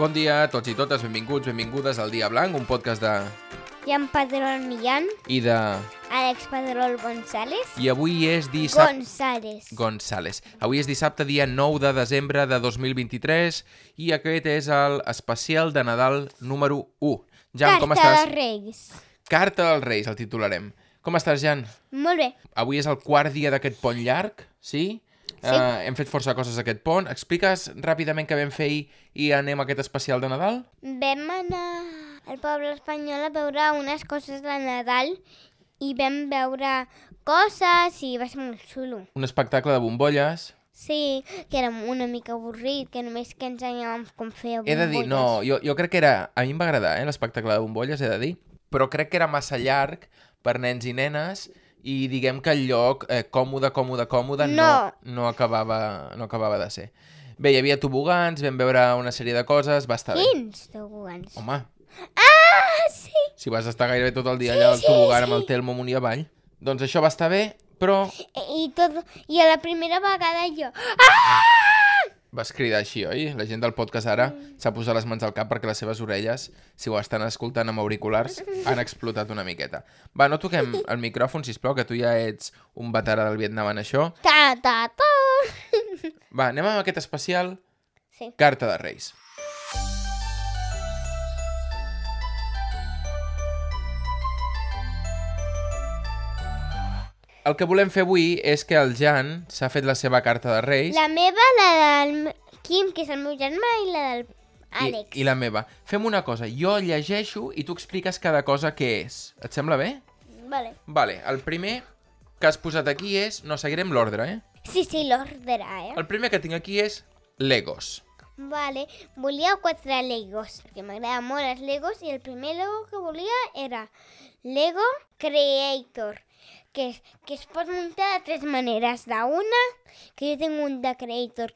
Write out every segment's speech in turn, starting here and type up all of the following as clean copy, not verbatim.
Bon dia a tots i totes, benvinguts, benvingudes al Dia Blanc, un podcast de... Jan Pedrol Millán, I de... Àlex Pedrol González. I avui és dissabte... González. Avui és dissabte, dia 9 de desembre de 2023, i aquest és el especial de Nadal número 1. Jan, com estàs? Carta dels Reis. Carta dels Reis, el titularem. Com estàs, Jan? Molt bé. Avui és el quart dia d'aquest pont llarg, sí? Sí. Hem fet força coses aquest pont. Expliques ràpidament què vam fer ahir i anem a aquest especial de Nadal? Vam anar al poble espanyol a veure unes coses de Nadal i vam veure coses i va ser molt xulo. Un espectacle de bombolles. Sí, que era una mica avorrit, que només que ensenyàvem com fer bombolles. He de dir, no, jo crec que era... A mi em va agradar, l'espectacle de bombolles, he de dir, però crec que era massa llarg per nens i nenes i diguem que el lloc còmode no acabava de ser. Bé, hi havia tobogans, vam veure una sèrie de coses, va estar bé. Quins tobogans? Home, Ah, sí! si vas estar gairebé tot el dia allà al tobogan amb el Telmo amunt i avall, doncs això va estar bé, però I a la primera vegada jo... vas cridar així, oi? La gent del podcast ara s'ha posat les mans al cap perquè les seves orelles, si ho estan escoltant amb auriculars, han explotat una miqueta. Va, no toquem el micròfon, sisplau, que tu ja ets un veterà del Vietnam en això. Ta. Va, anem amb aquest especial Sí. Carta de Reis. El que volem fer avui és que el Jan s'ha fet la seva carta de Reis La meva, la del Quim, que és el meu germà, i la del Àlex. i la meva. Fem una cosa, jo llegeixo i tu expliques cada cosa què és. Et sembla bé? Vale. Vale, el primer que has posat aquí és... No, seguirem l'ordre, Sí, l'ordre, El primer que tinc aquí és Legos. Vale, volia 4 Legos, perquè m'agraden molt els Legos, i el primer Lego que volia era Lego Creator, que es pot muntar de 3 maneres. D'una, que jo tinc un de Creator,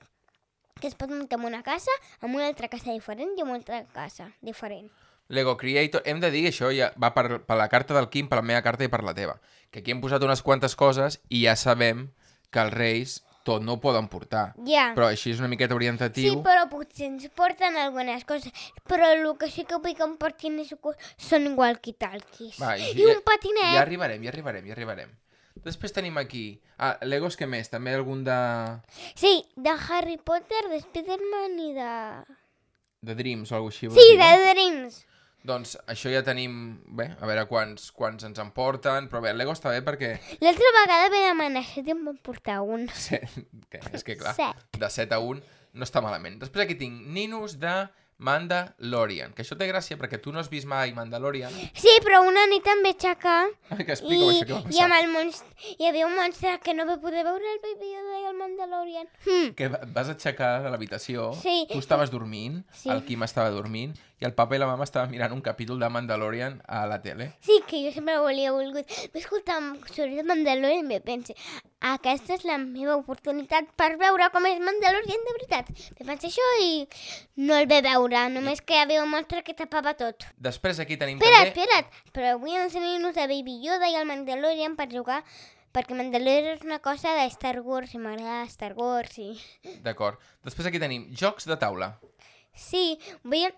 que es pot muntar en una casa, en una altra casa diferent i en una altra casa diferent. Lego Creator, hem de dir que això ja va per la carta del Quim, per la meva carta i per la teva. Que aquí hem posat unes quantes coses i ja sabem que els Reis tot no ho poden portar. Ja. Però així és una miqueta orientatiu. Sí, però potser ens porten algunes coses. Però el que sí que vull que em portin són walkie-talkies. Va, I un patinet. Ja arribarem. Després tenim aquí... Legos què més? També algun de... Sí, de Harry Potter, de Spider-Man i de... De Dreams o alguna cosa així. Sí, vols dir, de no? Dreams. Doncs això ja tenim... Bé, a veure quants ens en porten, però bé, el Lego està bé perquè... L'altra vegada vaig demanar 7 i em van portar un. És que clar, 7. de 7 a 1 no està malament. Després aquí tinc Ninus de Mandalorian, que això té gràcia perquè tu no has vist mai Mandalorian. Sí, però una nit em vaig aixecar Que explica això, què va i passar. amb el monstre, hi havia un monstre que no va poder veure el Baby Yoda i el Mandalorian. Que vas aixecar de l'habitació, Sí. tu estaves dormint, Sí. el Quim estava dormint, i el papa i la mama estaven mirant un capítol de Mandalorian a la tele. Sí, que jo sempre volia volgut. Vaig escoltar sobre Mandalorian i me pense, aquesta és la meva oportunitat per veure com és Mandalorian de veritat. Me pense això i no el ve veure, només que hi havia un monstre que tapava tot. Després aquí tenim Espera't, però vull ensenyar-nos de Baby Yoda i el Mandalorian per jugar, perquè Mandalorian és una cosa de Star Wars i m'agrada Star Wars i... D'acord. Després aquí tenim jocs de taula. Sí, vull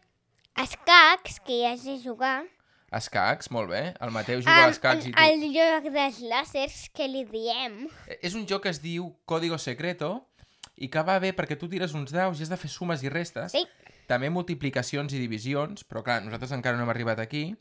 escacs, que ja sé jugar. Escacs, molt bé. El Mateu juga a escacs i tu... El joc dels làsers, que li diem. És un joc que es diu Código Secreto i que va bé perquè tu tires uns daus i has de fer sumes i restes. Sí. També multiplicacions i divisions, però clar, nosaltres encara no hem arribat aquí.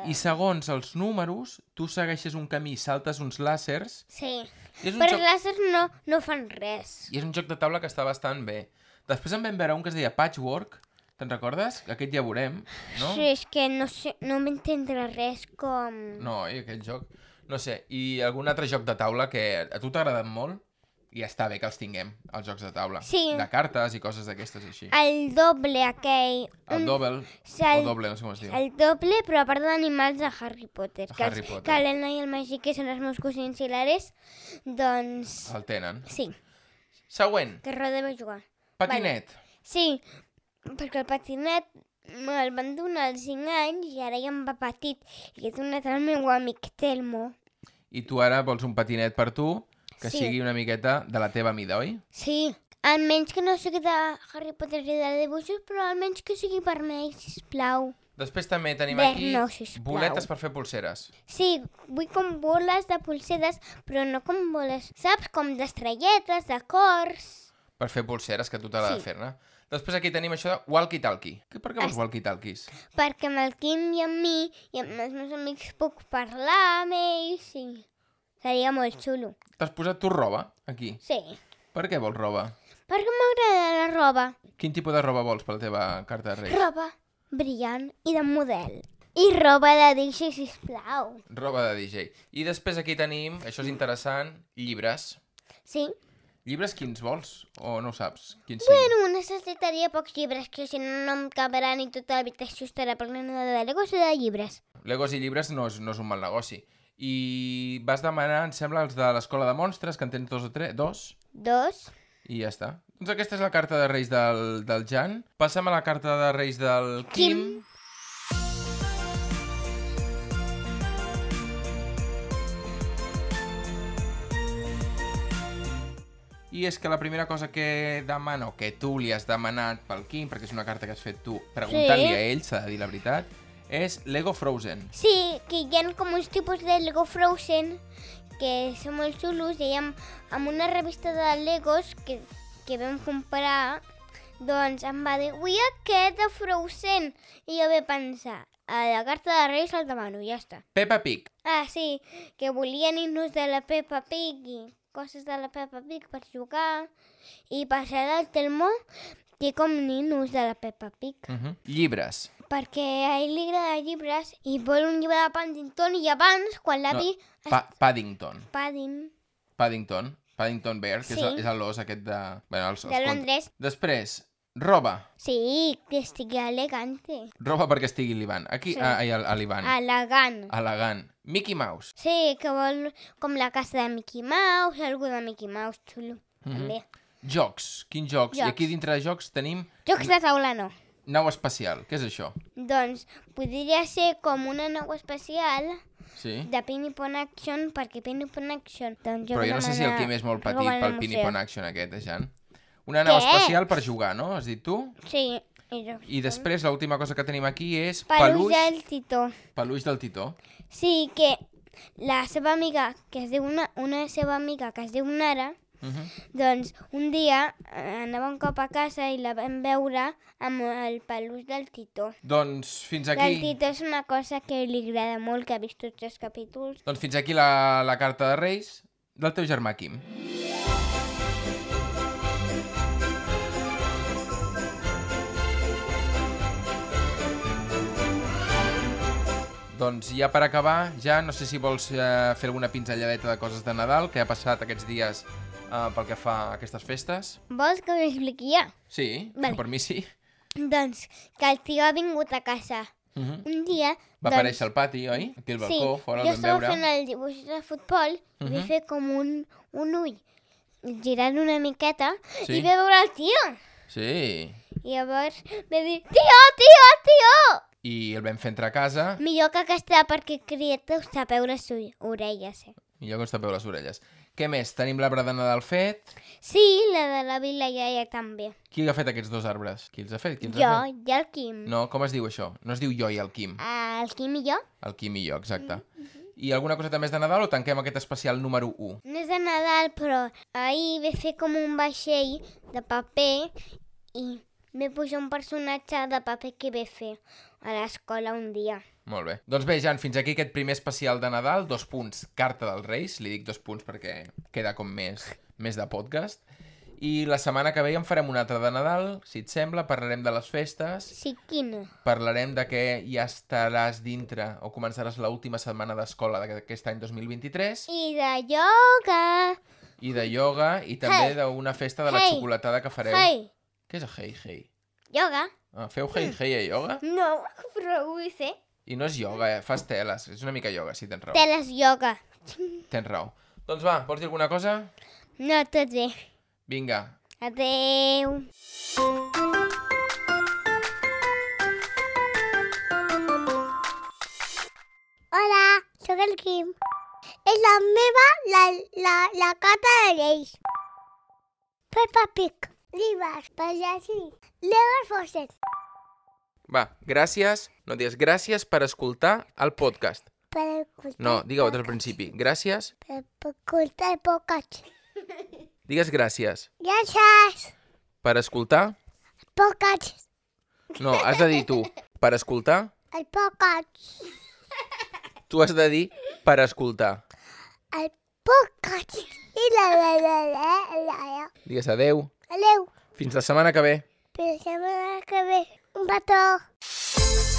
I segons els números, tu segueixes un camí, saltes uns làsers... Sí, I és un però joc... els làsers no fan res. I és un joc de taula que està bastant bé. Després en vam veure un que es deia Patchwork. Te'n recordes? Aquest ja veurem, no? Sí, és que no sé, no m'entendre res com... No, i aquell joc... No sé, i algun altre joc de taula que a tu t'ha agradat molt i està bé que els tinguem, els jocs de taula. Sí. De cartes i coses d'aquestes així. El doble aquell... El Double, el- o Doble, no sé com es diu. El doble, però a part d'animals de Harry Potter. Harry Potter. Que l'Elna i el Magí, que són els meus cosins i l'Ares, doncs... El tenen. Sí, Següent, que Roda va jugar. patinet. Sí, perquè el patinet me'l van donar als 5 anys i ara ja em va petit. I he donat al meu amic Telmo. I tu ara vols un patinet per tu que Sí. sigui una miqueta de la teva mida, oi? Sí, Almenys que no sigui de Harry Potter i de dibuixos, però almenys que sigui vermell, sisplau. Després també tenim Verd aquí no, sisplau. boletes per fer pulseres. Sí, vull com boles de pulseres, però no com boles, saps? Com d'estrelletes, de cors... Per fer pulseres, que tu t'ha de Sí. fer-ne. Després aquí tenim això de walkie-talkie. Per què vols walkie-talkies? Perquè amb el Quim i amb mi i amb els meus amics puc parlar amb ells i seria molt xulo. T'has posat tu roba, aquí. Sí, Per què vols roba? perquè m'agrada la roba. Quin tipus de roba vols per la teva carta de Reis? Roba brillant i de model. I roba de DJ, sisplau. Roba de DJ. I després aquí tenim, això és interessant, llibres. Sí? Llibres quins vols? O no ho saps? Quins Bueno, necessitaria pocs llibres, que si no, no em caberan i tota l'habitació estarà plena de Legos i de llibres. Legos i llibres no és un mal negoci. I vas demanar, em sembla, els de l'Escola de Monstres, que en tens dos o tres, dos, 2. i ja està. Doncs aquesta és la carta de Reis del Jan. Passem a la carta de Reis del Quim. I és que la primera cosa que demano, que tu li has demanat pel Quim, perquè és una carta que has fet tu preguntant-li Sí. a ell, s'ha de dir la veritat, és Lego Frozen. Sí, que hi ha com uns tipus de Lego Frozen que són molt xulos i amb una revista de Legos que vam comprar, doncs em va dir, vull aquest de Frozen. I jo vaig pensar, a la carta de Reis el demano, ja està. Peppa Pig. Ah, sí, que volien himnos de la Peppa Pig i coses de la Peppa Pig per jugar. I per ser del Telmo té com ninos de la Peppa Pig. Llibres. Perquè a ell li agrada llibres i vol un llibre de Paddington i abans, quan l'avi... Paddington. Paddington, Bear, que Sí. és l'os aquest de... Bueno, de Londres. Després, roba. Sí, que estigui elegante. Roba perquè estigui l'Ivan. Aquí, Sí. a l'Ivan. Elegant. Elegant. Mickey Mouse. Sí, que vol com la casa de Mickey Mouse, algú de Mickey Mouse, xulo. També. Jocs. Quins jocs? I Jocs. aquí dintre de jocs tenim Jocs de taula no. nau espacial. Què és això? Doncs podria ser com una nau especial Sí? de Pinipon Action, perquè Pinipon Action... Doncs Però jo no sé si el Quim és molt petit pel Pinipon Action aquest, Jan. Una nau Què? espacial per jugar, no? Has dit tu? Sí. jocs. I després l'última cosa que tenim aquí és Peluix del Titó. Peluix del Titó. Sí, que la seva amiga, que es diu una seva amiga que es diu Nara, doncs un dia anava un cop a casa i la vam veure amb el peluix del Titó. Doncs fins El aquí... Titó és una cosa que li agrada molt, que ha vist tots els capítols. Doncs fins aquí la carta de Reis del teu germà Quim. Doncs ja per acabar, ja no sé si vols fer alguna pinzelladeta de coses de Nadal que ha passat aquests dies pel que fa a aquestes festes. Vols que ho expliqui jo? Sí, Vale. per mi sí. Doncs que el tio ha vingut a casa un dia... Va aparèixer al pati, oi? Aquí al balcó, fora el jo vam estava veure. fent el dibuix de futbol i vaig fer com un ull girant una miqueta Sí. i vaig veure el tio. Sí. I llavors va dir, tio! I el vam fer entrar a casa, Millor que aquesta perquè crieta us tapeu les orelles. millor que us tapeu les orelles. Què més? Tenim l'arbre de Nadal fet. Sí, la de la Vila Iaia també. Qui ha fet aquests dos arbres? Qui els ha fet? Qui els Jo ha fet? i el Quim. No, com es diu això? No es diu jo i el Quim. El Quim i jo. El Quim i jo, exacte. I alguna coseta més de Nadal o tanquem aquest especial número 1? No és de Nadal, però ahir vaig fer com un vaixell de paper i vaig posar un personatge de paper que vaig fer a l'escola un dia. Molt bé. Doncs bé, Jan, fins aquí aquest primer especial de Nadal, 2 punts, carta dels Reis, li dic 2 punts perquè queda com més de podcast. I la setmana que ve en farem un altre de Nadal, si et sembla, parlarem de les festes, Sí, quina? parlarem de que ja estaràs dintre o començaràs l'última setmana d'escola d'aquest any 2023, I de ioga. i de ioga, i també Hey. d'una festa de la Hey. xocolatada que fareu. Hey, Què és el hey, hey? ioga? Feu hey, hey a ioga? No, però ho vull fer. I no és ioga, fas teles, és una mica ioga, sí, tens raó. Teles ioga. Tens raó. Doncs va, vols dir alguna cosa? No, tot bé. Vinga. Adeu. Hola, sóc el Quim. És la meva, la carta de Reis. Peppa Pig. Llibres, pagès, Lego Fosset. Va, gràcies. No digues gràcies per escoltar el podcast. Per escoltar... No, digue-ho des del principi. Gràcies. Per escoltar el podcast. Digues gràcies. Gràcies. Per escoltar... El podcast. No, has de dir tu. Per escoltar... El podcast. Tu has de dir per escoltar. El podcast. I la. Digues adeu. Adeu. Fins la setmana que ve. Fins la setmana que ve. Un petó.